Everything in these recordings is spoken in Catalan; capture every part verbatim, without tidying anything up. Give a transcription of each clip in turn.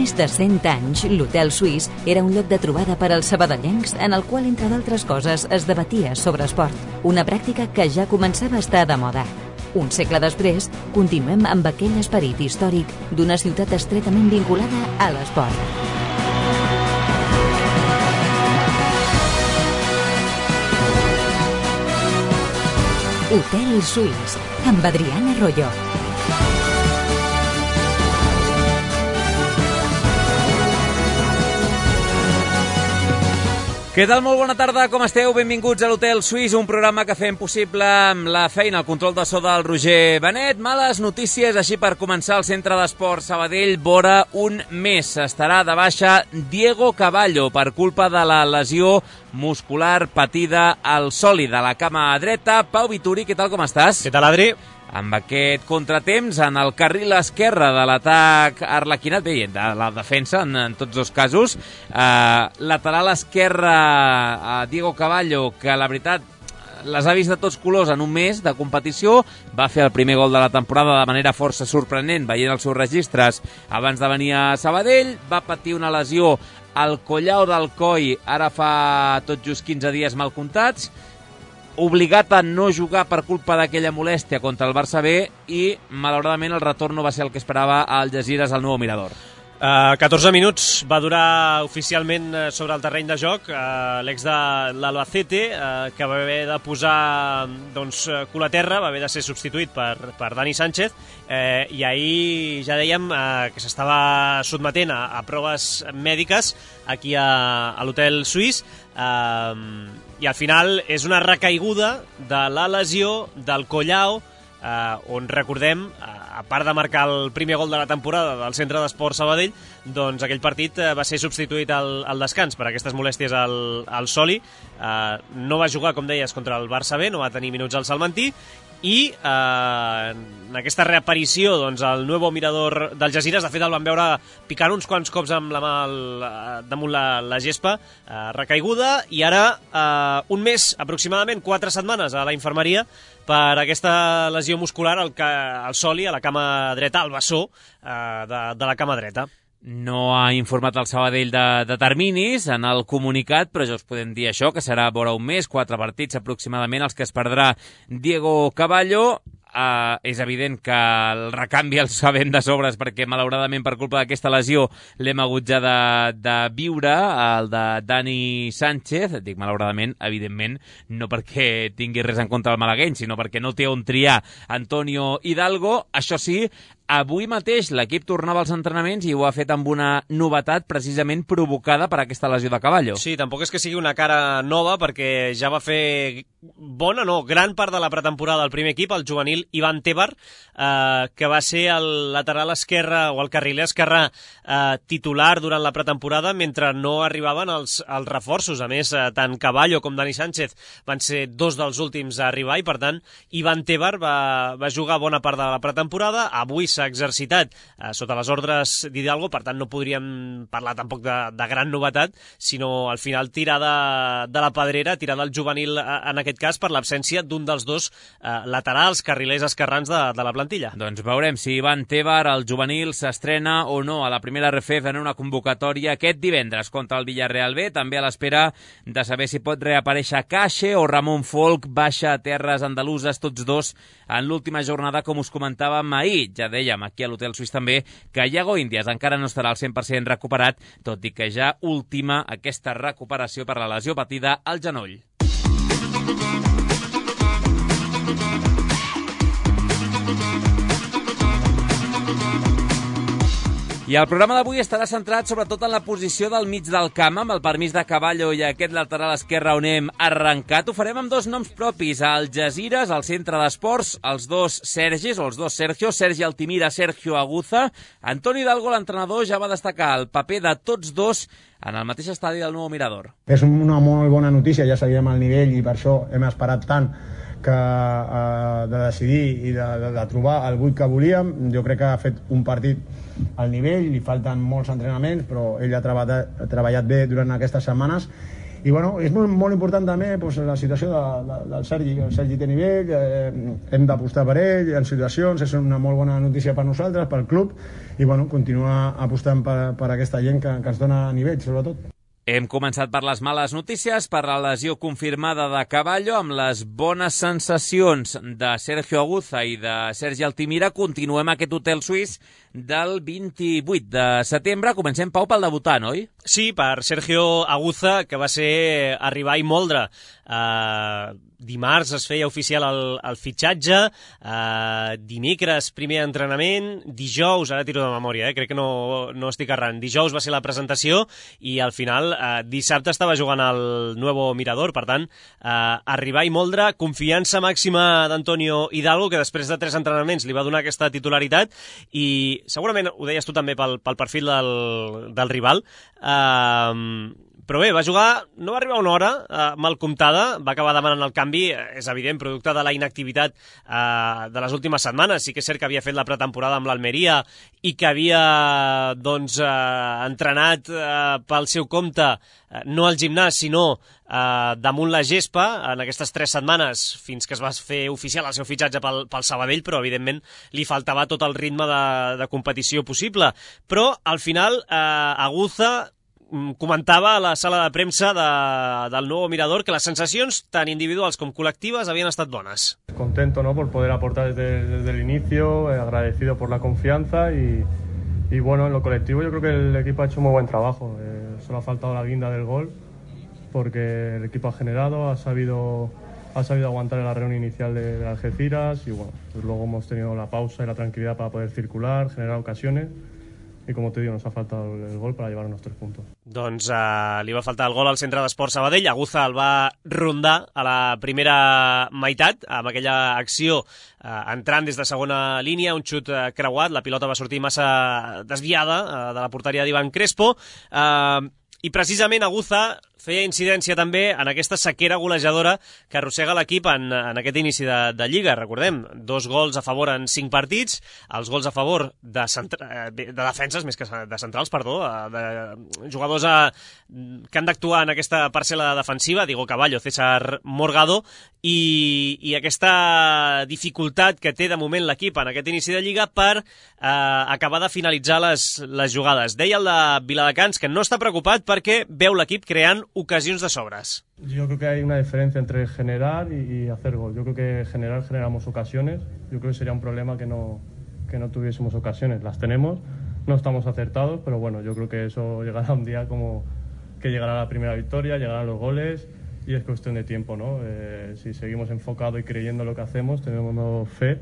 més de cent anys, l'Hotel Suís era un lloc de trobada per als sabadellencs en el qual, entre d'altres coses, es debatia sobre esport, una pràctica que ja començava a estar de moda. Un segle després, continuem amb aquell esperit històric d'una ciutat estretament vinculada a l'esport. Hotel Suís, amb Adriana Royo. Què tal? Molt bona tarda, com esteu? Benvinguts a l'Hotel Suís, un programa que fem possible amb la feina, el control de so del Roger Benet. Males notícies, així per començar, el Centre d'Esport Sabadell vora un mes. Estarà de baixa Diego Cavallo per culpa de la lesió muscular patida al sòlid de la cama dreta. Pau Vituri, què tal, com estàs? Què tal, Adri? Amb aquest contratemps en el carril esquerre de l'atac arlequinat, bé, de la defensa en, en tots dos casos, eh, lateral esquerre a Diego Cavallo, que la veritat les ha vist de tots colors en un mes de competició, va fer el primer gol de la temporada de manera força sorprenent, veient els seus registres abans de venir a Sabadell, va patir una lesió al collau del coll, ara fa tot just quinze dies mal comptats, obligat a no jugar per culpa d'aquella molèstia contra el Barça B i, malauradament, el retorn no va ser el que esperava a Algesires al nou Mirador. Uh, catorze minuts va durar oficialment sobre el terreny de joc uh, l'ex de l'Albacete, uh, que va haver de posar doncs, cul a terra, va haver de ser substituït per, per Dani Sánchez, uh, i ahir ja dèiem uh, que s'estava sotmetent a, a proves mèdiques aquí a, a l'Hotel Suís, uh, i al final és una recaiguda de la lesió del collau, eh, on recordem, a part de marcar el primer gol de la temporada del Centre d'Esport Sabadell, doncs aquell partit eh, va ser substituït al, al descans per aquestes molèsties al, al soli. Eh, no va jugar, com deies, contra el Barça B, no va tenir minuts al Salmantí, i eh, en aquesta reaparició doncs, el Nuevo Mirador d'Algesires, de fet el van veure picant uns quants cops amb la mà al, damunt la, la gespa, eh, recaiguda, i ara eh, un mes, aproximadament quatre setmanes a la infermeria per aquesta lesió muscular al, al soli, a la cama dreta, al bessó eh, de, de la cama dreta. No ha informat el Sabadell de, de terminis en el comunicat, però ja us podem dir això, que serà vora un mes, quatre partits aproximadament els que es perdrà Diego Cavallo. Uh, és evident que el recanvi el sabem de sobres perquè malauradament per culpa d'aquesta lesió l'hem hagut ja de, de viure, el de Dani Sánchez. Dic malauradament, evidentment, no perquè tingui res en contra del malagueny, sinó perquè no té on triar Antonio Hidalgo. Això sí, avui mateix l'equip tornava als entrenaments i ho ha fet amb una novetat precisament provocada per aquesta lesió de Cavallo. Sí, tampoc és que sigui una cara nova, perquè ja va fer bona, no, gran part de la pretemporada del primer equip, el juvenil Ivan Tebar, eh, que va ser el lateral esquerre o el carriler esquerre eh, titular durant la pretemporada mentre no arribaven els, els reforços. A més, eh, tant Cavallo com Dani Sánchez van ser dos dels últims a arribar i, per tant, Ivan Tebar va, va jugar bona part de la pretemporada. Avui s'ha exercitat eh, sota les ordres d'Hidalgo, per tant no podríem parlar tampoc de, de gran novetat, sinó al final tirar de, de la pedrera, tirar del juvenil eh, en aquest cas per l'absència d'un dels dos eh, laterals, carrilers esquerrans de, de la plantilla. Doncs veurem si Ivan Tebar, el juvenil, s'estrena o no a la primera R F F en una convocatòria aquest divendres contra el Villarreal B, també a l'espera de saber si pot reaparèixer Cache o Ramon Folk, baixa a terres andaluses, tots dos en l'última jornada, com us comentàvem ahir. Ja dèiem aquí a l'Hotel Suís també que Iago Índias encara no estarà al cent per cent recuperat, tot i que ja última aquesta recuperació per la lesió patida al genoll. I el programa d'avui estarà centrat sobretot en la posició del mig del camp, amb el permís de Cavallo i aquest lateral esquerre on hem arrencat. Ho farem amb dos noms propis, a Algesires, al centre d'esports, els dos Sergis, o els dos Sergio, Sergi Altimira, Sergio Aguza. Antoni Hidalgo, l'entrenador, ja va destacar el paper de tots dos en el mateix estadi del Nou Mirador. És una molt bona notícia, ja sabíem el nivell i per això hem esperat tant que eh, de decidir i de, de, de trobar el vuit que volíem. Jo crec que ha fet un partit al nivell, li falten molts entrenaments, però ell ha treballat, ha treballat bé durant aquestes setmanes i bueno, és molt, molt important també doncs, la situació de, de, del Sergi. El Sergi té nivell, eh, hem d'apostar per ell en situacions, és una molt bona notícia per nosaltres, pel club, i bueno, continuar apostant per, per aquesta gent que, que ens dona nivell, sobretot. Hem començat per les males notícies, per la lesió confirmada de Caballo, amb les bones sensacions de Sergio Aguza i de Sergi Altimira. Continuem aquest hotel suís del vint-i-vuit de setembre. Comencem, Pau, pel debutant, oi? Sí, per Sergio Aguza, que va ser arribar i moldre. Uh, dimarts es feia oficial el, el fitxatge, uh, dimecres primer entrenament, dijous, ara tiro de memòria, eh? crec que no, no estic errant, dijous va ser la presentació i al final uh, dissabte estava jugant al Nuevo Mirador, per tant, uh, arribar i moldre, confiança màxima d'Antonio Hidalgo, que després de tres entrenaments li va donar aquesta titularitat i segurament ho deies tu també pel, pel perfil del, del rival, uh, però bé, va jugar, no va arribar a una hora eh, mal comptada, va acabar demanant el canvi, és evident, producte de la inactivitat eh, de les últimes setmanes. Sí que és cert que havia fet la pretemporada amb l'Almeria i que havia doncs, eh, entrenat eh, pel seu compte, eh, no al gimnàs, sinó eh, damunt la gespa, en aquestes tres setmanes, fins que es va fer oficial el seu fitxatge pel, pel Sabadell, però evidentment li faltava tot el ritme de, de competició possible. Però al final, eh, Aguza comentava a la sala de premsa de, del Nuevo Mirador que les sensacions, tant individuals com col·lectives, havien estat bones. Contento, ¿no?, por poder aportar desde, desde el inicio, eh, agradecido por la confianza y, y bueno, en lo colectivo yo creo que el equipo ha hecho un muy buen trabajo. Eh, solo ha faltado la guinda del gol porque el equipo ha generado, ha sabido, ha sabido aguantar el arreón inicial de, de Algeciras y bueno, pues luego hemos tenido la pausa y la tranquilidad para poder circular, generar ocasiones. I com te digo, nos ha faltat el gol per llevar uns tres punts. Doncs uh, li va faltar el gol al centre d'Esport Sabadell. Aguza el va rondar a la primera meitat, amb aquella acció uh, entrant des de segona línia, un xut uh, creuat, la pilota va sortir massa desviada uh, de la porteria d'Ivan Crespo, uh, i precisament Aguza feia incidència també en aquesta sequera golejadora que arrossega l'equip en, en aquest inici de, de Lliga. Recordem, dos gols a favor en cinc partits, els gols a favor de, centra, de defenses, més que de centrals, perdó, de jugadors a, que han d'actuar en aquesta parcel·la defensiva, Diego Caballo, César Morgado, i, i aquesta dificultat que té de moment l'equip en aquest inici de Lliga per eh, acabar de finalitzar les, les jugades. Deia el de Viladecans que no està preocupat perquè veu l'equip creant ocasiones de sobras. Yo creo que hay una diferencia entre generar y, y hacer gol. Yo creo que generar generamos ocasiones. Yo creo que sería un problema que no, que no tuviésemos ocasiones. Las tenemos, no estamos acertados, pero bueno, yo creo que eso llegará un día como que llegará la primera victoria, llegarán los goles y es cuestión de tiempo, ¿no? Eh, si seguimos enfocados y creyendo lo que hacemos, tenemos fe,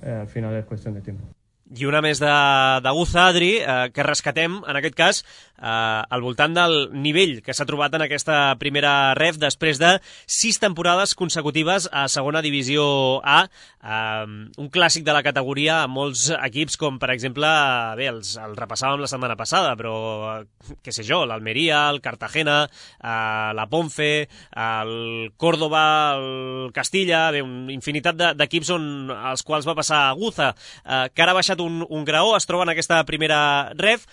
eh, al final es cuestión de tiempo. I una més d'Aguza, Adri, eh, que rescatem, en aquest cas, eh, al voltant del nivell que s'ha trobat en aquesta primera ref després de sis temporades consecutives a segona divisió A, eh, un clàssic de la categoria a molts equips com, per exemple, bé, els, el repassàvem la setmana passada, però, què sé jo, l'Almeria, el Cartagena, eh, la Ponfe, el Córdoba, el Castilla, bé, una infinitat d'equips on els quals va passar Aguza, eh, que ara ha baixat Un, un graó, es troba en aquesta primera ref.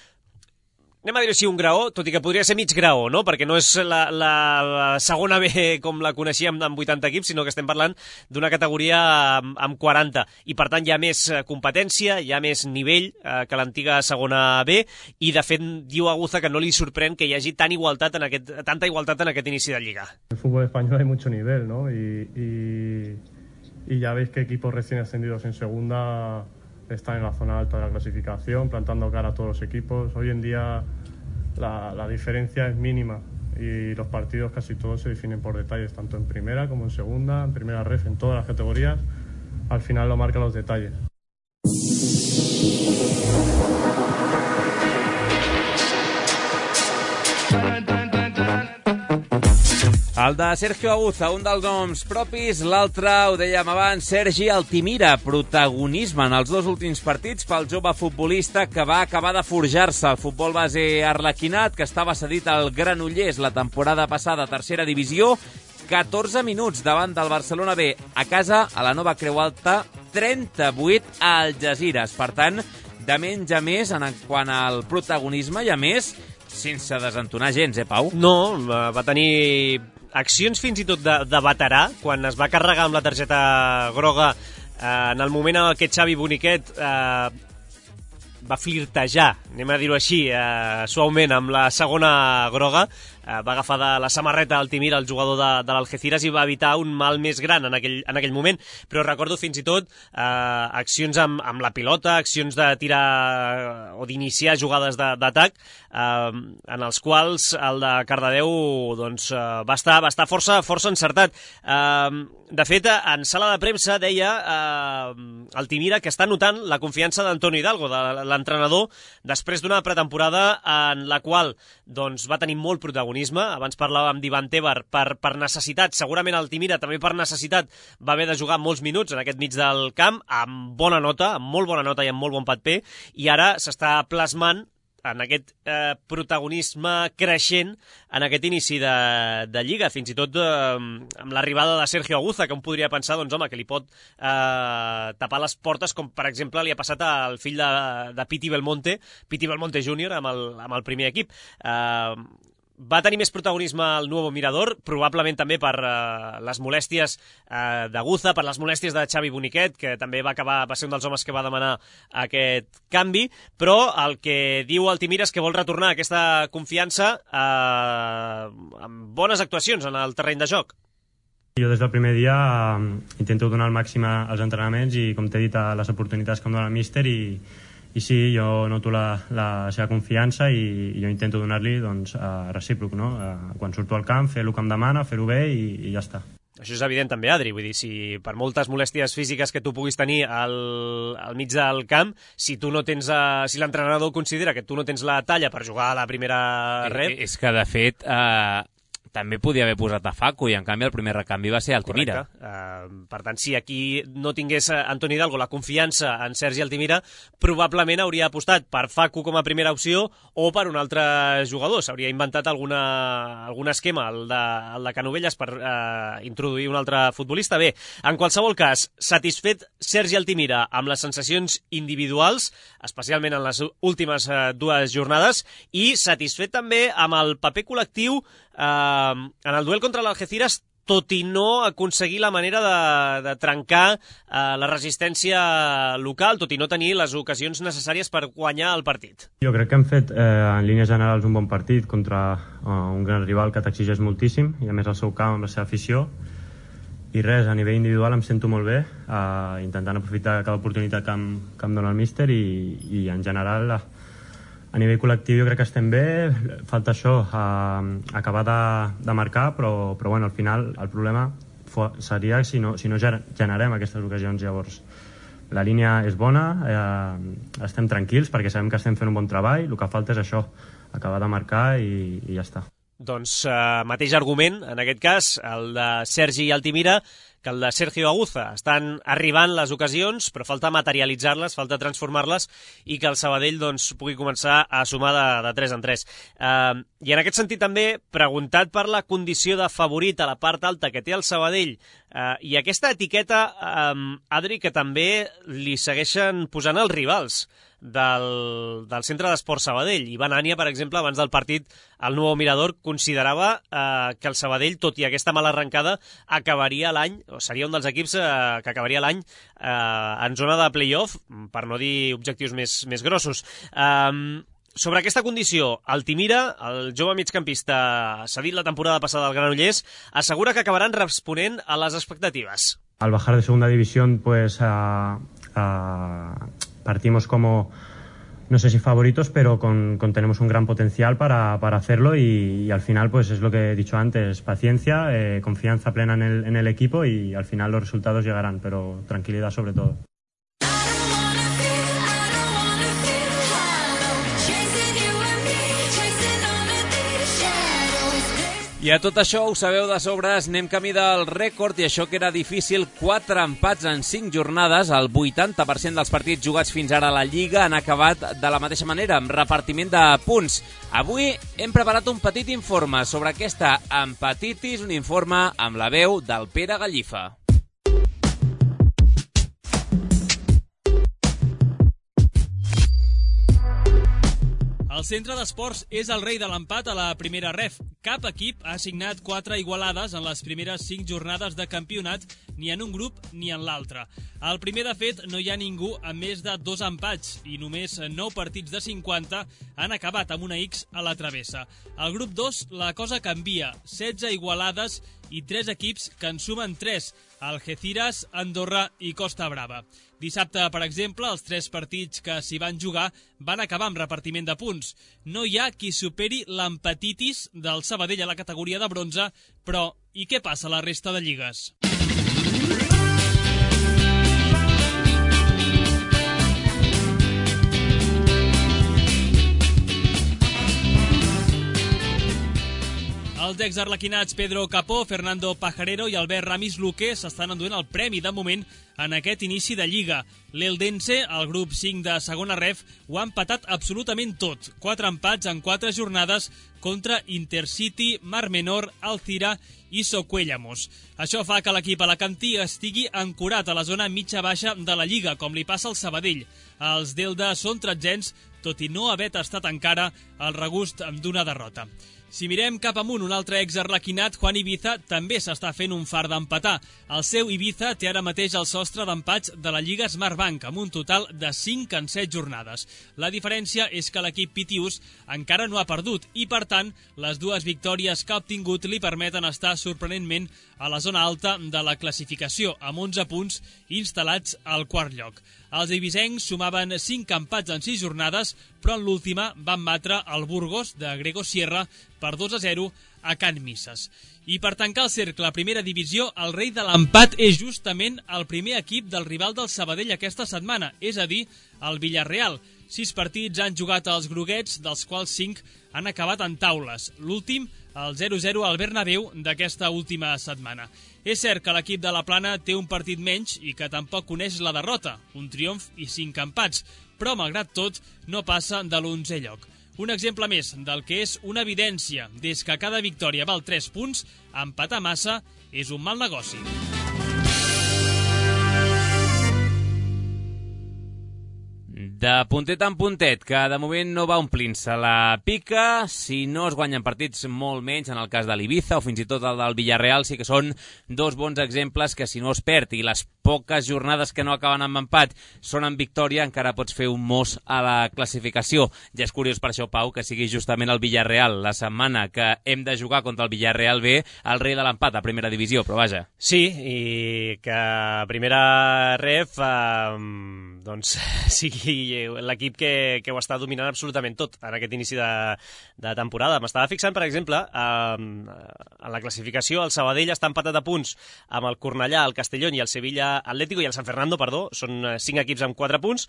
Anem a dir així un graó, tot i que podria ser mig graó, no? Perquè no és la, la, la segona B com la coneixíem amb vuitanta equips, sinó que estem parlant d'una categoria amb, amb quaranta. I per tant hi ha més competència, hi ha més nivell eh, que l'antiga segona B, i de fet diu Aguza que no li sorprèn que hi hagi tan igualtat en aquest, tanta igualtat en aquest inici de Lliga. En el fútbol español hay mucho nivel, ¿no? Y, y, y ya veis que equipos recién ascendidos en segunda están en la zona alta de la clasificación, plantando cara a todos los equipos. Hoy en día la, la diferencia es mínima y los partidos casi todos se definen por detalles, tanto en primera como en segunda, en primera ref, en todas las categorías. Al final lo marcan los detalles. El de Sergio Aguza, un dels noms propis, l'altre, ho dèiem abans, Sergi Altimira, protagonisme en els dos últims partits pel jove futbolista que va acabar de forjar-se al futbol base arlequinat, que estava cedit al Granollers la temporada passada a tercera divisió, catorze minuts davant del Barcelona B a casa, a la Nova Creu Alta, trenta-vuit a Algesires. Per tant, de menys a més en quant al protagonisme i a més sense desentonar gens, eh, Pau? No, va tenir accions fins i tot de, de veterà, quan es va carregar amb la targeta groga eh, en el moment en què Xavi Boniquet eh, va flirtejar, anem a dir-ho així, eh, suaument, amb la segona groga, eh, va agafar de la samarreta Altimira, el jugador de, de l'Algeciras, i va evitar un mal més gran en aquell, en aquell moment. Però recordo fins i tot eh, accions amb, amb la pilota, accions de tirar o d'iniciar jugades d'atac, eh, en els quals el de Cardedeu doncs, eh, va estar, va estar força, força encertat. Eh, de fet, en sala de premsa deia eh, Altimira que està notant la confiança d'Antonio Hidalgo, de l'entrenador, després d'una pretemporada en la qual doncs, va tenir molt protagonisme. Abans parlàvem d'Ivan Tebar per, per necessitat, segurament Altimira també per necessitat va haver de jugar molts minuts en aquest mig del camp, amb bona nota, amb molt bona nota i amb molt bon paper, i ara s'està plasmant en aquest eh, protagonisme creixent en aquest inici de, de Lliga, fins i tot eh, amb l'arribada de Sergio Aguza, que un podria pensar doncs, home, que li pot eh, tapar les portes, com per exemple li ha passat al fill de, de Piti Belmonte, Piti Belmonte júnior amb, el, amb el primer equip. Eh, Va tenir més protagonisme el Nuevo Mirador, probablement també per uh, les molèsties uh, d'Aguza, per les molèsties de Xavi Boniquet, que també va acabar va ser un dels homes que va demanar aquest canvi, però el que diu Altimira és que vol retornar aquesta confiança uh, amb bones actuacions en el terreny de joc. Jo des del primer dia uh, intento donar el màxim als entrenaments i, com t'he dit, a les oportunitats que em dona el míster, i I sí, jo noto la, la seva confiança i, i jo intento donar-li doncs, uh, recíproc, no? Uh, quan surto al camp, fer el que em demana, fer-ho bé i, i ja està. Això és evident també, Adri, vull dir, si per moltes molèsties físiques que tu puguis tenir al, al mig del camp, si tu no tens, uh, si l'entrenador considera que tu no tens la talla per jugar a la primera red... És que, de fet, eh, també podia haver posat a Facu, i en canvi el primer recanvi va ser Altimira. Uh, per tant, si aquí no tingués Antoni Hidalgo la confiança en Sergi Altimira, probablement hauria apostat per Facu com a primera opció o per un altre jugador. S'hauria inventat alguna, algun esquema, el de, el de Canovelles, per uh, introduir un altre futbolista. Bé, en qualsevol cas, satisfet Sergi Altimira amb les sensacions individuals, especialment en les últimes uh, dues jornades, i satisfet també amb el paper col·lectiu Uh, en el duel contra l'Algeciras, tot i no aconseguir la manera de, de trencar uh, la resistència local, tot i no tenir les ocasions necessàries per guanyar el partit. Jo crec que hem fet, eh, en línies generals, un bon partit contra uh, un gran rival que t'exigeix moltíssim, i a més el seu camp amb la seva afició, i res, a nivell individual em sento molt bé, uh, intentant aprofitar cada oportunitat que em, que em dona el míster, i, i en general... Uh, A nivell col·lectiu jo crec que estem bé, falta això, eh, acabar de, de marcar, però, però bueno, al final el problema seria si no, si no generem aquestes ocasions. Llavors, la línia és bona, eh, estem tranquils perquè sabem que estem fent un bon treball, el que falta és això, acabar de marcar i, i ja està. Doncs eh, mateix argument, en aquest cas, el de Sergi Altimira, que el de Sergio Aguza. Estan arribant les ocasions, però falta materialitzar-les, falta transformar-les, i que el Sabadell doncs, pugui començar a sumar de, de tres en tres. Eh, I en aquest sentit també, preguntat per la condició de favorit a la part alta que té el Sabadell, eh, i aquesta etiqueta, eh, Adri, que també li segueixen posant els rivals del, del Centre d'Esport Sabadell. Ivan Ania, per exemple, abans del partit al Nuevo Mirador, considerava eh, que el Sabadell, tot i aquesta mala arrencada, acabaria l'any, o seria un dels equips eh, que acabaria l'any eh, en zona de play-off, per no dir objectius més, més grossos. Eh, sobre aquesta condició, Altimira, el jove migcampista cedit la temporada passada al Granollers, assegura que acabaran responent a les expectatives. Al bajar de segunda división, pues uh, uh, partimos como, no sé si favoritos, pero con, con tenemos un gran potencial para, para hacerlo, y, y al final, pues es lo que he dicho antes, paciencia, eh, confianza plena en el, en el equipo, y al final los resultados llegarán, pero tranquilidad sobre todo. I a tot això, ho sabeu de sobres, anem camí del rècord, i això que era difícil, quatre empats en cinc jornades, el vuitanta per cent dels partits jugats fins ara a la Lliga han acabat de la mateixa manera, amb repartiment de punts. Avui hem preparat un petit informe sobre aquesta empatitis, un informe amb la veu del Pere Gallifa. El El Centre d'Esports és el rei de l'empat a la primera ref. Cap equip ha assignat quatre igualades en les primeres cinc jornades de campionat, ni en un grup ni en l'altre. Al primer, de fet, no hi ha ningú amb més de dos empats i només nou partits de cinquanta han acabat amb una X a la travessa. Al grup dos la cosa canvia, setze igualades i tres equips que en sumen tres, Algeciras, Andorra i Costa Brava. Dissabte, per exemple, els tres partits que s'hi van jugar van acabar amb repartiment de punts. No hi ha qui superi l'empatitis del Sabadell a la categoria de bronze, però i què passa a la resta de lligues? Els exarlequinats Pedro Capó, Fernando Pajarero i Albert Ramis Luque s'estan enduent el premi de moment en aquest inici de Lliga. L'Eldense, el grup cinc de segona ref, ho ha empatat absolutament tot. Quatre empats en quatre jornades contra Intercity, Mar Menor, Alcira i Socuéllamos. Això fa que l'equip alacantí estigui ancorat a la zona mitja-baixa de la Lliga, com li passa al Sabadell. Els d'Elda són tretzens, tot i no haver tastat encara el regust d'una derrota. Si mirem cap amunt, un altre exarlequinat, Juan Ibiza, també s'està fent un far d'empatar. El seu Ibiza té ara mateix el sostre d'empats de la Lliga Smartbank, amb un total de cinc en set jornades. La diferència és que l'equip Pitius encara no ha perdut i, per tant, les dues victòries que ha obtingut li permeten estar sorprenentment a la zona alta de la classificació, amb onze punts instal·lats al quart lloc. Els ibisencs sumaven cinc empats en sis jornades, però en l'última van batre el Burgos de Grego Sierra per dos a zero a Can Misses. I per tancar el cercle a primera divisió, el rei de l'empat és justament el primer equip del rival del Sabadell aquesta setmana, és a dir, el Villarreal. Sis partits han jugat els groguets, dels quals cinc han acabat en taules. L'últim, el zero zero al Bernabéu d'aquesta última setmana. És cert que l'equip de la Plana té un partit menys i que tampoc coneix la derrota, un triomf i cinc empats, però malgrat tot no passa de l'onzè lloc. Un exemple més del que és una evidència, des que cada victòria val tres punts, empatar massa és un mal negoci. De puntet en puntet, que de moment no va omplint-se la pica. Si no es guanyen partits, molt menys, en el cas de l'Ibiza o fins i tot el del Villarreal, sí que són dos bons exemples que si no es perd i les poques jornades que no acaben amb empat són en victòria, encara pots fer un mos a la classificació. Ja és curiós per això, Pau, que sigui justament el Villarreal la setmana que hem de jugar contra el Villarreal B, el rei de l'empat a primera divisió, però vaja. Sí, i que a primera ref eh, doncs sigui l'equip que, que ho està dominant absolutament tot en aquest inici de, de temporada. M'estava fixant, per exemple, eh, en la classificació, el Sabadell està empatat a punts amb el Cornellà, el Castellón i el Sevilla Atlético i el San Fernando, perdó, són cinc equips amb quatre punts.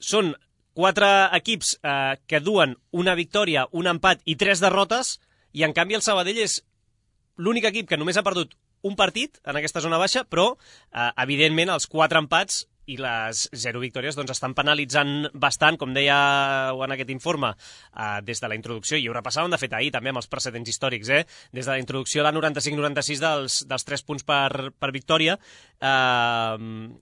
Són quatre equips eh, que duen una victòria, un empat i tres derrotes, i en canvi el Sabadell és l'únic equip que només ha perdut un partit en aquesta zona baixa, però eh, evidentment els quatre empats i les zero victòries doncs, estan penalitzant bastant, com deia en aquest informe, eh, des de la introducció, i ho repassàvem de fet ahir també amb els precedents històrics, eh? Des de la introducció de noranta-cinc noranta-sis dels, dels tres punts per, per victòria. Eh,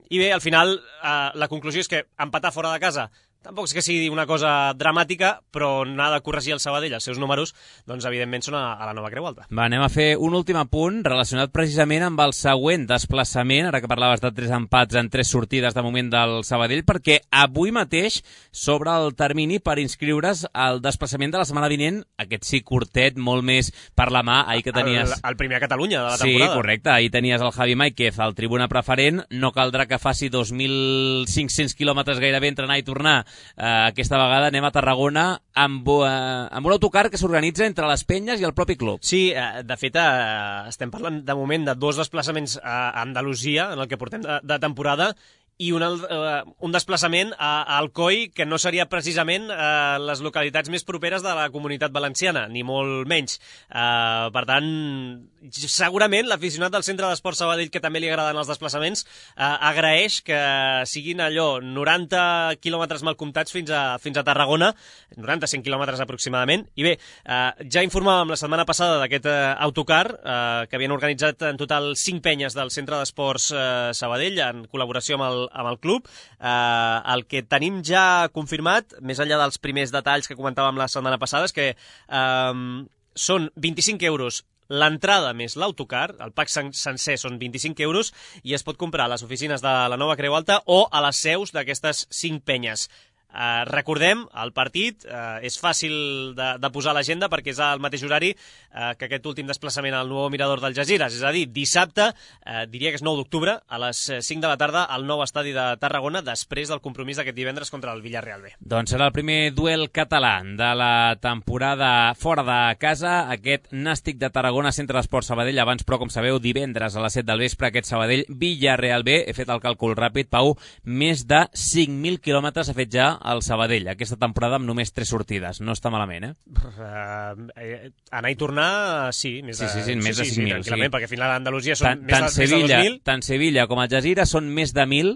I bé, al final, eh, la conclusió és que empatar fora de casa tampoc és que sigui una cosa dramàtica, però n'ha de corregir el Sabadell, els seus números, doncs evidentment són a, a la nova Creu Alta. Va, anem a fer un últim apunt relacionat precisament amb el següent desplaçament, ara que parlaves de tres empats en tres sortides de moment del Sabadell, perquè avui mateix s'obre el termini per inscriure's al desplaçament de la setmana vinent, aquest sí curtet, molt més per la mà, ahir que tenies... El, el primer a Catalunya de la temporada. Sí, correcte, ahir tenies el Javi Máiquez al tribuna preferent, no caldrà que faci dos mil cinc-cents quilòmetres gairebé entre anar i tornar. Uh, aquesta vegada anem a Tarragona amb, uh, amb un autocar que s'organitza entre les penyes i el propi club. Sí, uh, de fet uh, estem parlant de moment de dos desplaçaments a Andalusia en el que portem de, de temporada i un, uh, un desplaçament a, a Alcoi, que no seria precisament uh, les localitats més properes de la Comunitat Valenciana, ni molt menys. Uh, per tant, segurament l'aficionat del Centre d'Esports Sabadell, que també li agraden els desplaçaments, uh, agraeix que siguin allò noranta quilòmetres mal comptats fins a, fins a Tarragona, noranta-cinc quilòmetres aproximadament. I bé, uh, ja informàvem la setmana passada d'aquest uh, autocar, uh, que havien organitzat en total cinc penyes del Centre d'Esports uh, Sabadell, en col·laboració amb el el, amb el club. Eh, el que tenim ja confirmat, més enllà dels primers detalls que comentàvem la setmana passada, és que eh, són vint-i-cinc euros l'entrada més l'autocar, el pack sen sencer són vint-i-cinc euros i es pot comprar a les oficines de la Nova Creu Alta o a les seus d'aquestes cinc penyes. Uh, recordem, el partit uh, és fàcil de, de posar a l'agenda perquè és al mateix horari uh, que aquest últim desplaçament al nou Mirador d'Algesires, és a dir, dissabte, uh, diria que és nou d'octubre, a les cinc de la tarda al nou estadi de Tarragona, després del compromís d'aquest divendres contra el Villarreal B. Doncs serà el primer duel català de la temporada fora de casa, aquest Nàstic de Tarragona, Centre d'Esport Sabadell, abans, però com sabeu, divendres a les set del vespre, aquest Sabadell Villarreal B. He fet el càlcul ràpid, Pau, més de cinc mil quilòmetres ha fet ja al Sabadell, aquesta temporada amb només tres sortides. No està malament, eh? Uh, eh anar i tornar, sí. Més de, sí, sí, sí, més de sí, cinc mil. Sí, tranquil·lament, sí. Perquè al final a Andalusia són tant, més, tant de, Sevilla, més de dos mil. Tant Sevilla com Algesires són més de mil,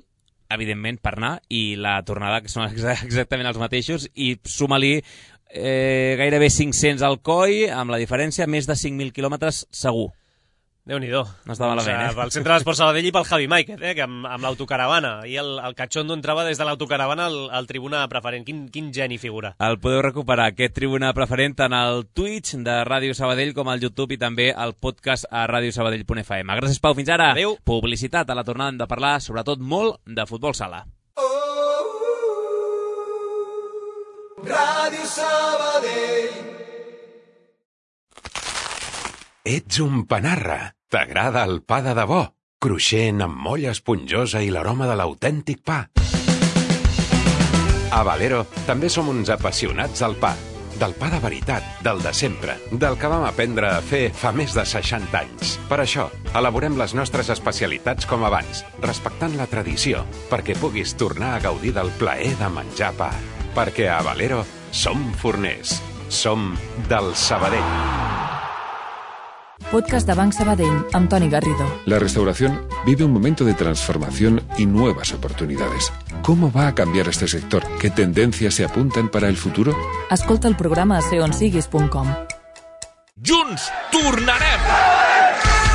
evidentment, per anar, i la tornada, que són exactament els mateixos, i suma-li eh, gairebé cinc-cents al Coi, amb la diferència, més de cinc mil quilòmetres segur. Déu-n'hi-do. No està malament, eh? Pel Centre d'Esport Sabadell i pel Javi Máiquez, eh? Que amb, amb l'autocaravana. I el, el Cachondo entrava des de l'autocaravana al, al tribuna preferent. Quin, quin geni figura. El podeu recuperar, aquest tribuna preferent, tant al Twitch de Ràdio Sabadell com al YouTube i també al podcast a radiosabadell punt f m. Gràcies, Pau. Fins ara. Adéu. Publicitat. A la tornada hem de parlar, sobretot, molt de futbol sala. Ràdio Sabadell. Ets un panarra. T'agrada el pa de debò? Cruixent, amb molla esponjosa i l'aroma de l'autèntic pa. A Valero també som uns apassionats del pa. Del pa de veritat, del de sempre, del que vam aprendre a fer fa més de seixanta anys. Per això, elaborem les nostres especialitats com abans, respectant la tradició, perquè puguis tornar a gaudir del plaer de menjar pa. Perquè a Valero som forners. Som del Sabadell. Podcast de Banc Sabadell, amb Toni Garrido. La restauración vive un momento de transformación y nuevas oportunidades. ¿Cómo va a cambiar este sector? ¿Qué tendencias se apuntan para el futuro? Escolta el programa a seonsiguis punt com. Junts tornarem!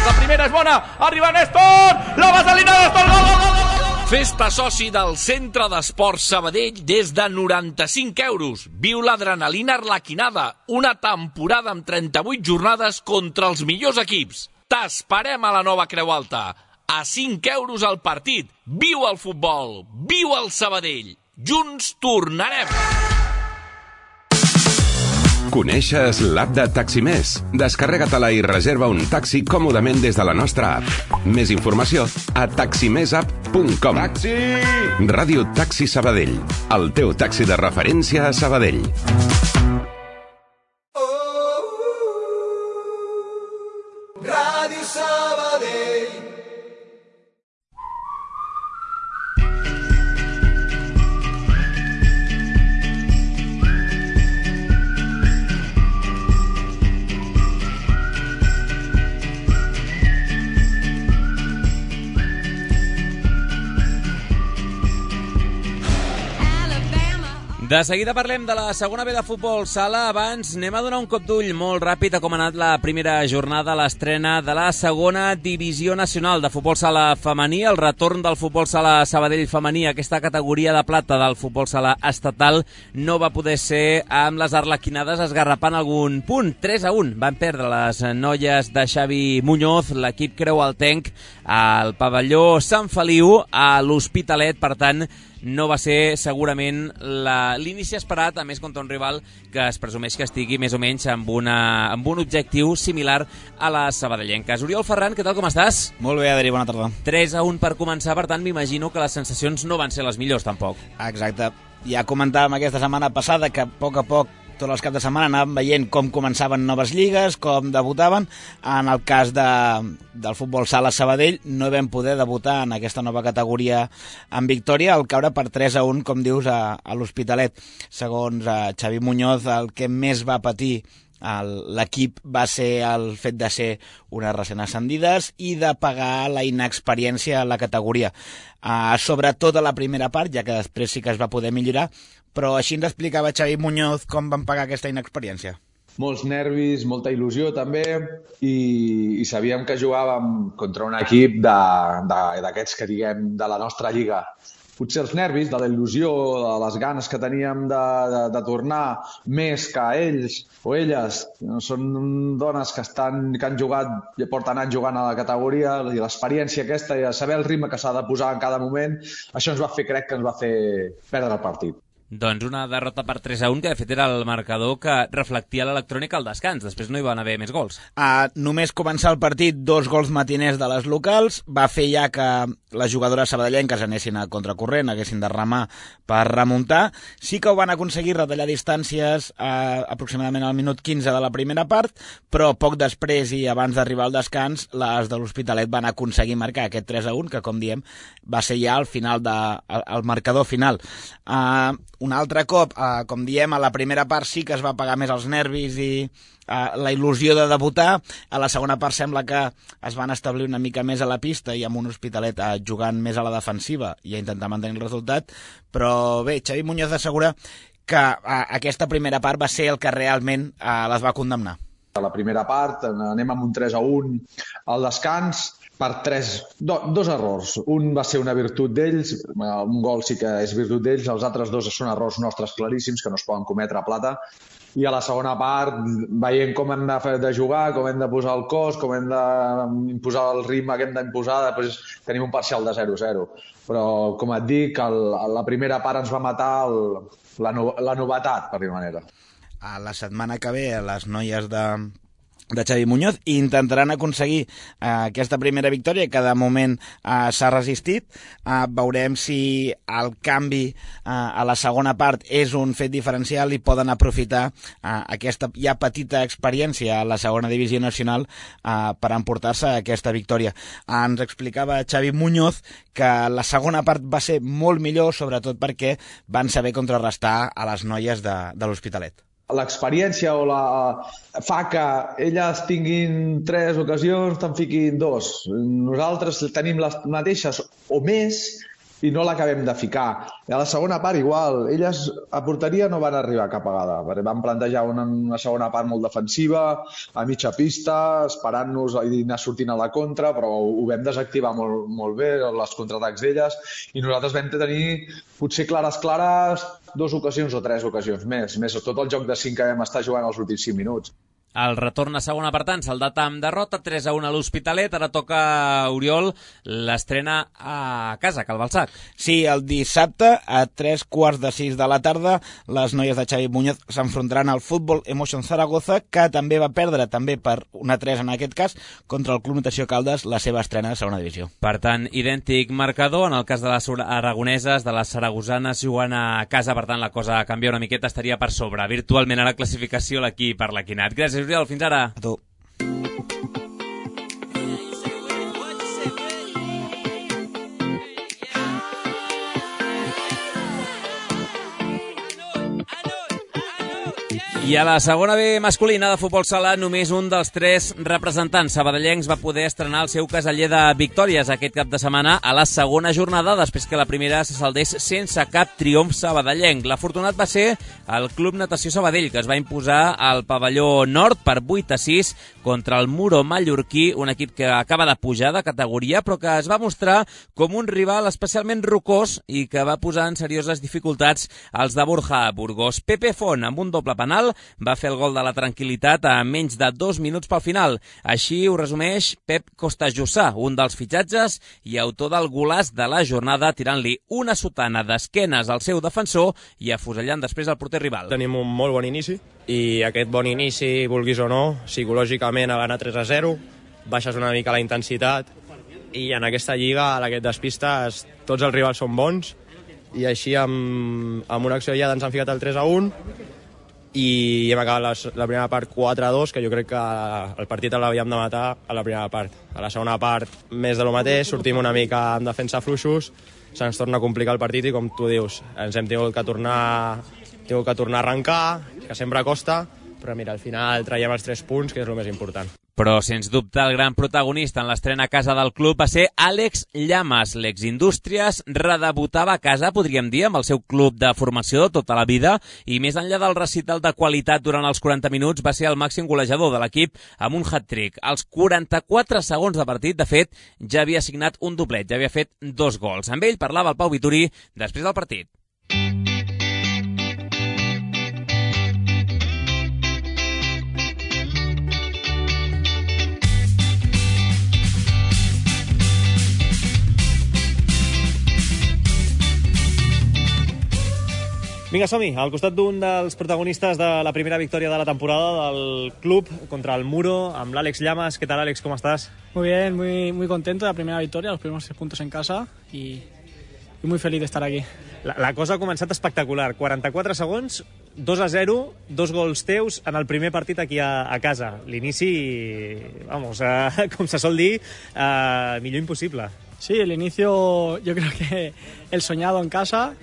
La primera és bona, arriba Néstor! La vaselina Néstor, gol, gol, gol! Festa soci del Centre d'Esport Sabadell des de noranta-cinc euros. Viu l'adrenalina arlequinada. Una temporada amb trenta-vuit jornades contra els millors equips. T'esperem a la Nova Creu Alta. A cinc euros al partit. Viu el futbol. Viu el Sabadell. Junts tornarem. Coneixes l'app de Taximés? Descarrega-te-la i reserva un taxi còmodament des de la nostra app. Més informació a taximesapp punt com. Taxi! Ràdio Taxi Sabadell, el teu taxi de referència a Sabadell. Ràdio Sabadell. De seguida parlem de la segona B de futbol sala. Abans anem a donar un cop d'ull molt ràpid a com ha anat la primera jornada, l'estrena de la segona divisió nacional de futbol sala femení, el retorn del futbol sala Sabadell femení, aquesta categoria de plata del futbol sala estatal, no va poder ser amb les arlequinades esgarrapant algun punt. tres a un van perdre les noies de Xavi Muñoz, l'equip creualtenc, al pavelló Sant Feliu, a l'Hospitalet. Per tant, no va ser segurament l'inici esperat, a més contra un rival que es presumeix que estigui més o menys amb, una, amb un objectiu similar a les sabadellenques. Oriol Ferran, què tal, com estàs? Molt bé, Adri, bona tarda. tres a un per començar, per tant, m'imagino que les sensacions no van ser les millors, tampoc. Exacte. Ja comentàvem aquesta setmana passada que a poc a poc tots els caps de setmana anàvem veient com començaven noves lligues, com debutaven. En el cas de, del futbol sala Sabadell no vam poder debutar en aquesta nova categoria en victòria, al caure per tres a un, com dius, a, a l'Hospitalet. Segons a Xavi Muñoz, el que més va patir l'equip va ser el fet de ser unes recent ascendides i de pagar la inexperiència a la categoria. Uh, sobretot a la primera part, ja que després sí que es va poder millorar, però així ens explicava Xavi Muñoz com van pagar aquesta inexperiència. molts nervis, molta il·lusió també, i, i sabíem que jugàvem contra un equip d'aquests que diguem de la nostra lliga. Potser els nervis, de la il·lusió, de les ganes que teníem de, de, de tornar més que ells o elles. Són dones que, estan, que han jugat i porten anys jugant a la categoria, i l'experiència aquesta i saber el ritme que s'ha de posar en cada moment, això ens va fer, crec que ens va fer perdre el partit. Doncs una derrota per tres a un, que de fet era el marcador que reflectia l'electrònica al descans. Després no hi van haver més gols. Uh, només començar el partit, dos gols matiners de les locals, va fer ja que les jugadores sabadellenques anessin a contracorrent, haguessin de remar per remuntar. Sí que ho van aconseguir retallar distàncies uh, aproximadament al minut quinze de la primera part, però poc després i abans d'arribar al descans, les de l'Hospitalet van aconseguir marcar aquest tres a un, que com diem va ser ja el final de, el, el marcador final. Uh, un altre cop, eh, com diem, a la primera part sí que es va pagar més els nervis i eh, la il·lusió de debutar. A la segona part sembla que es van establir una mica més a la pista i amb un Hospitalet eh, jugant més a la defensiva i a intentar mantenir el resultat. Però bé, Xavi Muñoz assegura que eh, aquesta primera part va ser el que realment eh, les va condemnar. A la primera part anem amb un tres a un al descans, per tres, do, dos errors. Un va ser una virtut d'ells, un gol sí que és virtut d'ells, els altres dos són errors nostres claríssims que no es poden cometre a plata. I a la segona part, veient com hem de, fer, de jugar, com hem de posar el cos, com hem d'imposar el ritme que hem d'imposar, després tenim un parcial de zero a zero. Però, com et dic, el, la primera part ens va matar el, la, no, la novetat, per dir-ho manera. A la setmana que ve, les noies de... de Xavi Muñoz, i intentaran aconseguir eh, aquesta primera victòria que de moment eh, s'ha resistit. Eh, veurem si el canvi eh, a la segona part és un fet diferencial i poden aprofitar eh, aquesta ja petita experiència a la segona divisió nacional eh, per emportar-se aquesta victòria. Eh, ens explicava Xavi Muñoz que la segona part va ser molt millor, sobretot perquè van saber contrarrestar a les noies de, de l'Hospitalet. L'experiència o la fa que elles tinguin tres ocasions, te'n fiquin dos. Nosaltres tenim les mateixes o més i no l'acabem de ficar. I a la segona part igual, elles a porteria no van arribar cap vegada, perquè van plantejar una, una segona part molt defensiva, a mitja pista, esperant-nos i anar sortint a la contra, però ho vam desactivar molt, molt bé, els contraatacs d'elles, i nosaltres vam tenir potser clares, clares, dues ocasions o tres ocasions més, més tot el joc de cinc que vam estar jugant els últims cinc minuts. El retorn a segona per tant, saldat amb derrota, tres a un a l'Hospitalet. Ara toca, Oriol, l'estrena a casa, a Cal Balsac. Sí, el dissabte, a tres quarts de sis de la tarda, les noies de Xavi Muñoz s'enfrontaran al Futbol Emotion Zaragoza, que també va perdre, també per una tres en aquest cas, contra el Club Natació Caldes, la seva estrena de segona divisió. Per tant, idèntic marcador. En el cas de les aragoneses, de les saragosanes jugant a casa, per tant, la cosa canvia una miqueta, estaria per sobre. Virtualment a la classificació l'equip per l'Equinat. Gràcies, Oriol, fins ara. A tu. I a la segona B masculina de futbol sala, només un dels tres representants sabadellencs va poder estrenar el seu caseller de victòries aquest cap de setmana a la segona jornada, després que la primera se saldés sense cap triomf sabadellenc. L'afortunat va ser el Club Natació Sabadell, que es va imposar al pavelló nord per vuit a sis contra el Muro mallorquí, un equip que acaba de pujar de categoria, però que es va mostrar com un rival especialment rocós i que va posar en serioses dificultats als de Borja Burgos. Pepe Font, amb un doble penal, va fer el gol de la tranquil·litat a menys de dos minuts pel final. Així ho resumeix Pep Costajussà, un dels fitxatges i autor del golaç de la jornada, tirant-li una sotana d'esquenes al seu defensor i afusellant després el porter rival. Tenim un molt bon inici i aquest bon inici, vulguis o no, psicològicament a l'anar tres a zero, baixes una mica la intensitat i en aquesta lliga, a la que et despistes, tots els rivals són bons i així amb, amb una acció ja ens han ficat el tres a un i hem acabat la, la primera part quatre a dos, que jo crec que el partit l'havíem de matar a la primera part. A la segona part, més de lo mateix, sortim una mica en defensa fluixos, se'ns torna a complicar el partit i, com tu dius, ens hem tingut que tornar, tingut que tornar a arrencar, que sempre costa, però mira, al final traiem els tres punts, que és el més important. Però, sens dubte, el gran protagonista en l'estrena a casa del club va ser Àlex Llamas. L'ex-Indústries redebutava a casa, podríem dir, amb el seu club de formació de tota la vida, i més enllà del recital de qualitat durant els quaranta minuts, va ser el màxim golejador de l'equip amb un hat-trick. Als quaranta-quatre segons de partit, de fet, ja havia signat un doblet, ja havia fet dos gols. Amb ell parlava el Pau Vituri després del partit. Vinga, som-hi, al costat d'un dels protagonistes de la primera victòria de la temporada del club contra el Muro, amb l'Àlex Llamas. ¿Qué tal, Àlex? ¿Cómo estás? Muy bien, muy, muy contento de la primera victoria, los primeros tres puntos en casa y, y muy feliz de estar aquí. La, la cosa ha començat espectacular. quaranta-quatre segons, dos a zero, dos gols teus en el primer partit aquí a, a casa. L'inici, vamos, eh, com se sol dir, eh, millor impossible. Sí, el inicio yo creo que el soñado en casa.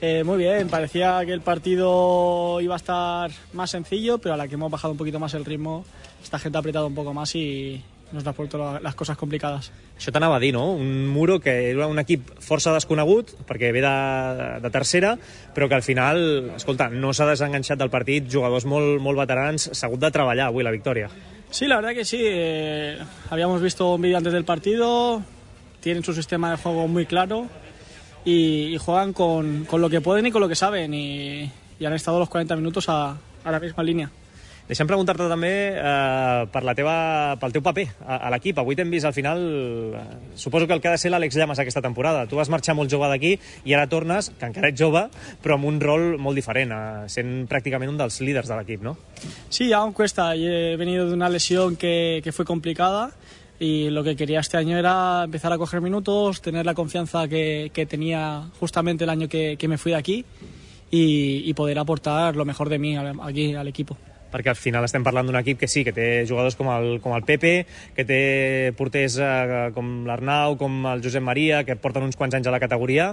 Eh, muy bien, parecía que el partido iba a estar más sencillo, pero a la que hemos bajado un poquito más el ritmo, esta gente ha apretado un poco más y nos ha puesto las cosas complicadas. Això t'anava a dir, no? Un Muro que era un equip força desconegut, perquè ve de, de tercera, però que al final, escolta, no s'ha desenganxat del partit, jugadors molt, molt veterans, s'ha hagut de treballar avui la victòria. Sí, la verdad que sí. Eh, habíamos visto un vídeo antes del partido, tienen su sistema de juego muy claro, Y, y juegan con, con lo que pueden y con lo que saben y, y han estado los quaranta minutos a, a la misma línia. Deixa'm preguntar-te també eh, per la teva, pel teu paper a, a l'equip. Avui t'hem vist al final, eh, suposo que el que ha de ser l'Àlex Llamas aquesta temporada. Tu vas marxar molt jove d'aquí i ara tornes, que encara ets jove, però amb un rol molt diferent, eh, sent pràcticament un dels líders de l'equip, no? Sí, aún cuesta. He venido de una lesión que, que fue complicada. Y lo que quería este año era empezar a coger minutos, tener la confianza que, que tenía justamente el año que, que me fui de aquí y, y poder aportar lo mejor de mí aquí al equipo. Perquè al final estem parlant d'un equip que sí, que té jugadors com el, com el Pepe, que té porters eh, com l'Arnau, com el Josep Maria, que porten uns quants anys a la categoria,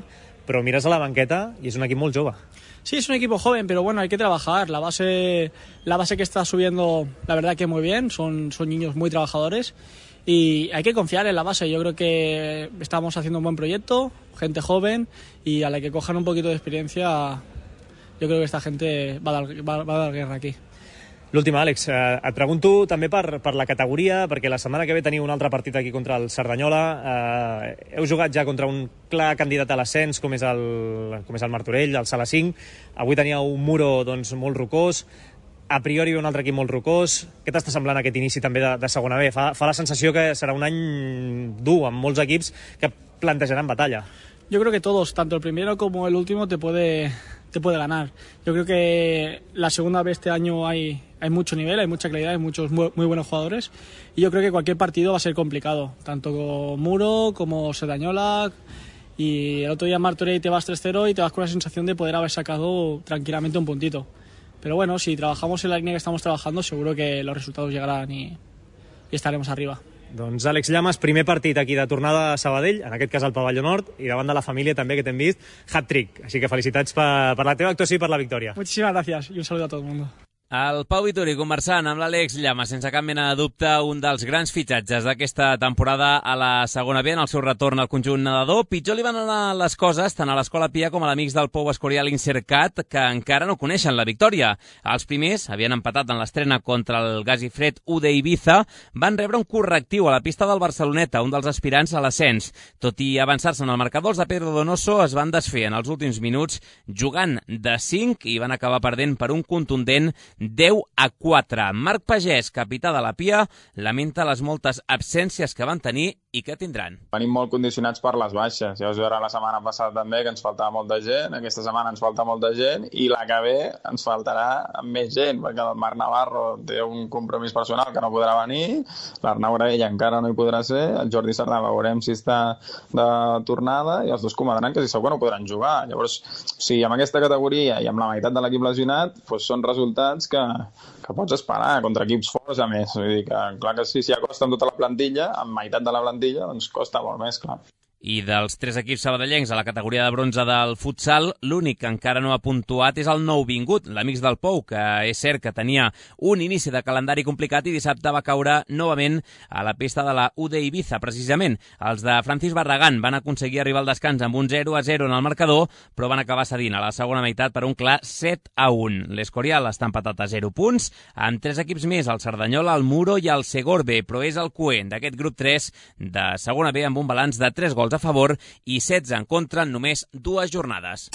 però mires a la banqueta i és un equip molt jove. Sí, es un equipo joven, pero bueno, hay que trabajar. La base, la base que está subiendo, la verdad que muy bien, son, son niños muy trabajadores. Y hay que confiar en la base. Yo creo que estamos haciendo un buen proyecto, gente joven, y a la que cojan un poquito de experiencia, yo creo que esta gente va a dar, va, va a dar guerra aquí. L'última, Àlex, eh, et pregunto també per, per la categoria, perquè la setmana que ve teniu un altre partit aquí contra el Cerdanyola. Eh, heu jugat ja contra un clar candidat a l'ascens, com és el, com és el Martorell, el Sala cinc. Avui teníeu un Muro doncs, molt rocós. A priori un altre equip molt rocós. Què t'està semblant aquest inici també de, de segona B? Fa, fa la sensació que serà un any dur amb molts equips que plantejaran batalla. Yo creo que todos, tanto el primero como el último, te puede, te puede ganar. Yo creo que la segunda B este año hay, hay mucho nivel, hay mucha calidad, hay muchos muy, muy buenos jugadores. Y yo creo que cualquier partido va a ser complicado, tanto con Muro como Cerdanyola. Y el otro día en Martorell te vas tres cero y te vas con la sensación de poder haber sacado tranquilamente un puntito. Pero bueno, si trabajamos en la línea que estamos trabajando, seguro que los resultados llegarán y, y estaremos arriba. Doncs Àlex Llamas, primer partit aquí de tornada a Sabadell, en aquest cas al Pavelló Nord, i davant de la família també que t'hem vist, hat-trick. Així que felicitats per, per la teva actuació i per la victòria. Muchísimas gracias y un saludo a todo el mundo. El Pau Vituri conversant amb l'Àlex Llamas, sense cap mena de dubte, un dels grans fitxatges d'aquesta temporada a la segona B en el seu retorn al conjunt nedador. Pitjor li van anar les coses tant a l'Escola Pia com a l'amics del Pou Escorial Incercat, que encara no coneixen la victòria. Els primers havien empatat en l'estrena contra el Gas i Fred U de Ibiza, van rebre un correctiu a la pista del Barceloneta, un dels aspirants a l'ascens. Tot i avançar-se en el marcador, els de Pedro Donoso es van desfer en els últims minuts jugant de cinc i van acabar perdent per un contundent deu a quatre. Marc Pagès, capità de la Pia, lamenta les moltes absències que van tenir i que tindran. Venim molt condicionats per les baixes. Ja us veurà la setmana passada també que ens faltava molta gent, aquesta setmana ens falta molta gent i la que ve ens faltarà més gent, perquè el Marc Navarro té un compromís personal que no podrà venir, l'Arnau Graella encara no hi podrà ser, el Jordi Sardà veurem si està de tornada i els dos comandran que si segur que no podran jugar. Llavors, si amb aquesta categoria i amb la meitat de l'equip lesionat, doncs són resultats que, que pots esperar contra equips forts a més. Vull dir que, clar que sí, si acosta amb tota la plantilla, amb meitat de la plantilla, doncs costa molt més, clar. I dels tres equips sabadellencs a la categoria de bronze del futsal, l'únic que encara no ha puntuat és el nouvingut, l'Amics del Pou, que és cert que tenia un inici de calendari complicat i dissabte va caure novament a la pista de la U D Ibiza, precisament. Els de Francis Barragán van aconseguir arribar al descans amb un zero a zero en el marcador, però van acabar cedint a la segona meitat per un clar set a un. L'Escorial està empatat a zero punts, amb tres equips més, el Cerdanyola, el Muro i el Segorbe, però és el coent d'aquest grup tres de segona B amb un balanç de tres gols a favor i setze en contra en només dues jornades.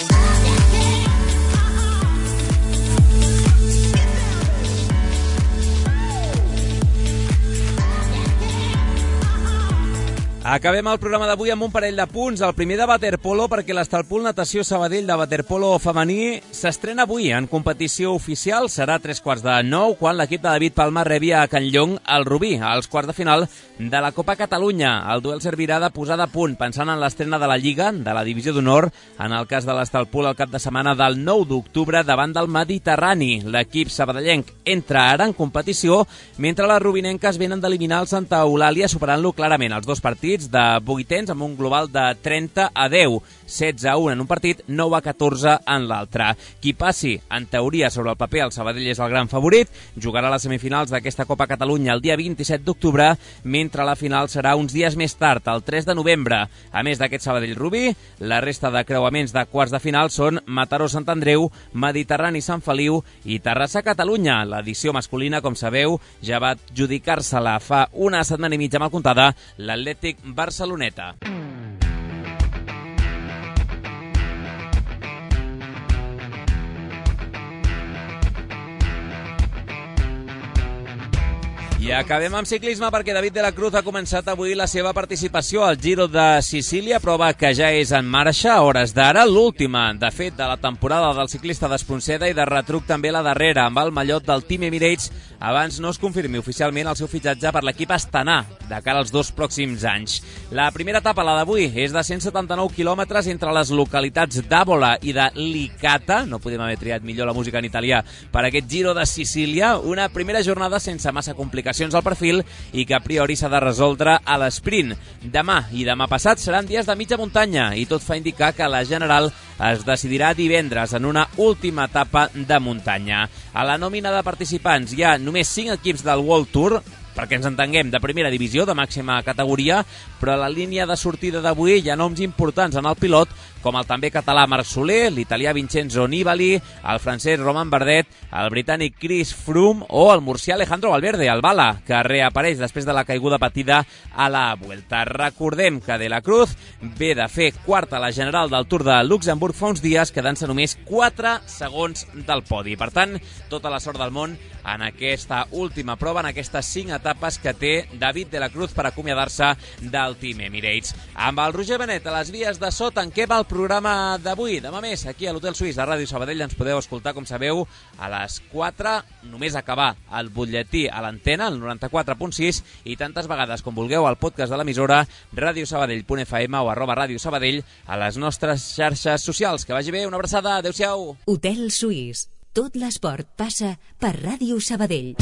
Acabem el programa d'avui amb un parell de punts. El primer de waterpolo, perquè l'Estalpul Natació Sabadell de waterpolo femení s'estrena avui en competició oficial. Serà a tres quarts de nou, quan l'equip de David Palma rebi a Can Llong el Rubí, als quarts de final de la Copa Catalunya. El duel servirà de posada a punt, pensant en l'estrena de la Lliga, de la Divisió d'Honor, en el cas de l'Estalpul el cap de setmana del nou d'octubre davant del Mediterrani. L'equip sabadellenc entra ara en competició, mentre les rubinenques venen d'eliminar el Santa Eulàlia, superant-lo clarament els dos partits de vuitens amb un global de trenta a deu, setze a un en un partit, nou a catorze en l'altre. Qui passi, en teoria, sobre el paper, el Sabadell és el gran favorit, jugarà les semifinals d'aquesta Copa Catalunya el dia vint-i-set d'octubre, mentre la final serà uns dies més tard, el tres de novembre. A més d'aquest Sabadell-Rubí, la resta de creuaments de quarts de final són Mataró-Sant Andreu, Mediterrani-Sant Feliu i Terrassa-Catalunya. L'edició masculina, com sabeu, ja va adjudicar-se-la fa una setmana i mitja mal comptada l'Atlètic Barceloneta. I acabem amb ciclisme perquè David de la Cruz ha començat avui la seva participació al Giro de Sicília, prova que ja és en marxa a hores d'ara, l'última, de fet, de la temporada del ciclista d'Espronceda i de retruc també la darrera, amb el mallot del Team Emirates, abans no es confirmi oficialment el seu fitxatge per l'equip Astana, de cara als dos pròxims anys. La primera etapa, la d'avui, és de cent setanta-nou quilòmetres entre les localitats d'Àbola i de Licata, no podem haver triat millor la música en italià per aquest Giro de Sicília, una primera jornada sense massa complicacions al perfil i que a priori s'ha de resoldre a l'esprint. Demà i demà passat seran dies de mitja muntanya i tot fa indicar que la general es decidirà divendres en una última etapa de muntanya. A la nòmina de participants hi ha només cinc equips del World Tour, perquè ens entenguem, de primera divisió, de màxima categoria, però a la línia de sortida d'avui hi ha noms importants en el pilot, com el també català Marc Soler, l'italià Vincenzo Nibali, el francès Romain Bardet, el britànic Chris Froome o el murcià Alejandro Valverde, el Bala, que reapareix després de la caiguda patida a la Vuelta. Recordem que De la Cruz ve de fer quarta a la general del Tour de Luxemburg fa uns dies, quedant-se només quatre segons del podi. Per tant, tota la sort del món en aquesta última prova, en aquestes cinc etapes que té David de la Cruz per acomiadar-se del Team Emirates. Amb el Roger Benet a les vies de so, tanquem el programa d'avui. Demà més, aquí a l'Hotel Suís de Ràdio Sabadell, ens podeu escoltar, com sabeu, a les quatre, només acabar el butlletí a l'antena, el noranta-quatre punt sis, i tantes vegades com vulgueu al podcast de l'emissora radiosabadell punt f m o arroba Ràdio Sabadell a les nostres xarxes socials. Que vagi bé, una abraçada, adeu-siau. Hotel Suís. Tot l'esport passa per Ràdio Sabadell.